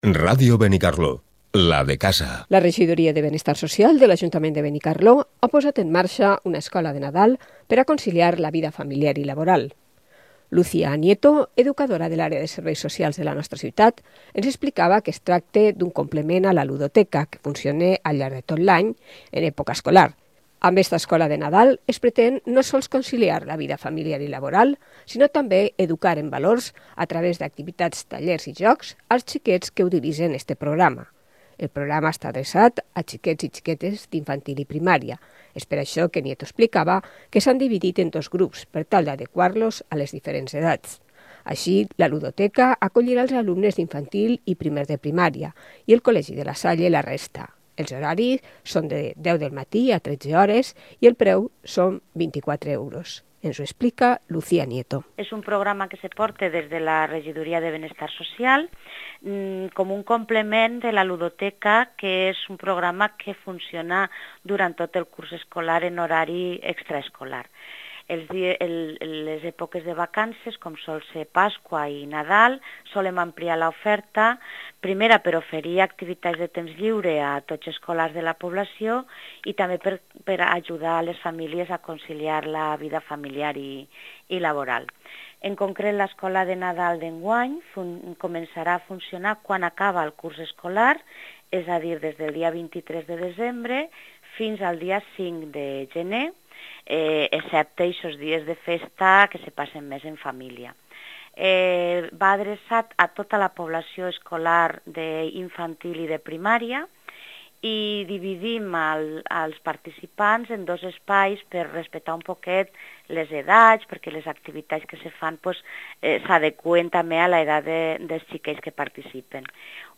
Ràdio Benicarló, la de casa. La Regidoria de Benestar Social de l'Ajuntament de Benicarló ha posat en marxa una escola de Nadal per a conciliar la vida familiar i laboral. Lucía Nieto, educadora de l'àrea de serveis socials de la nostra ciutat, ens explicava que es tracta d'un complement a la ludoteca que funciona al llarg de tot l'any en època escolar. Amb aquesta escola de Nadal es pretén no sols conciliar la vida familiar i laboral, sinó també educar en valors a través d'activitats, tallers i jocs als xiquets que utilitzen este programa. El programa està adreçat a xiquets i xiquetes d'infantil i primària. És per això que Nieto explicava que s'han dividit en dos grups per tal d'adequar-los a les diferents edats. Així, la ludoteca acollirà els alumnes d'infantil i primer de primària i el Col·legi de la Salle la resta. Els horaris són de 10 del matí a 13 hores i el preu són 24 euros. Ens ho explica Lucía Nieto. És un programa que se porta des de la Regidoria de Benestar Social com un complement de la ludoteca, que és un programa que funciona durant tot el curs escolar en horari extraescolar. Les èpoques de vacances, com sol ser Pasqua i Nadal, solem ampliar l'oferta, primera per oferir activitats de temps lliure a tots els escolars de la població i també per ajudar les famílies a conciliar la vida familiar i laboral. En concret, l'escola de Nadal d'enguany començarà a funcionar quan acaba el curs escolar, és a dir, des del dia 23 de desembre fins al dia 5 de gener, excepte aquests dies de festa que se passen més en família. Va adreçat a tota la població escolar d'infantil i de primària i dividim els participants en dos espais per respectar un poquet les edats, perquè les activitats que se fan s'adeqüen també a l'edat dels xiquets que participen.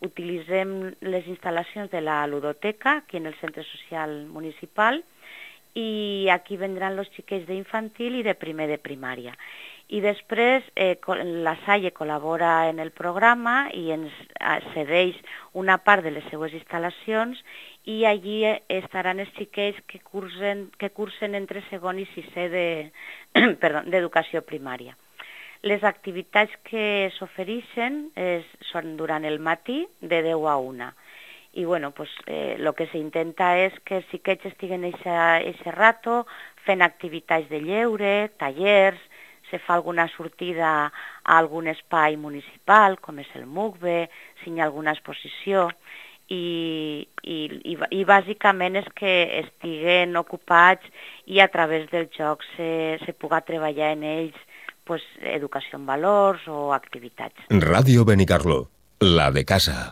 Utilitzem les instal·lacions de la ludoteca aquí en el centre social municipal i aquí vendran els xiquets d'infantil i de primer de primària. I després la Salle col·labora en el programa i ens cedeix una part de les seues instal·lacions i allí estaran els xiquets que cursen entre segon i sisè d'educació primària. Les activitats que s'ofereixen són durant el matí de 10 a 1. I el que s'intenta és que els xiquets estiguen aquest rato fent activitats de lleure, tallers, se fa alguna sortida a algun espai municipal, com és el MUCBE, si hi ha alguna exposició, i bàsicament és que estiguen ocupats i a través del joc se pugui treballar en ells educació en valors o activitats. Ràdio Benicarló, la de casa.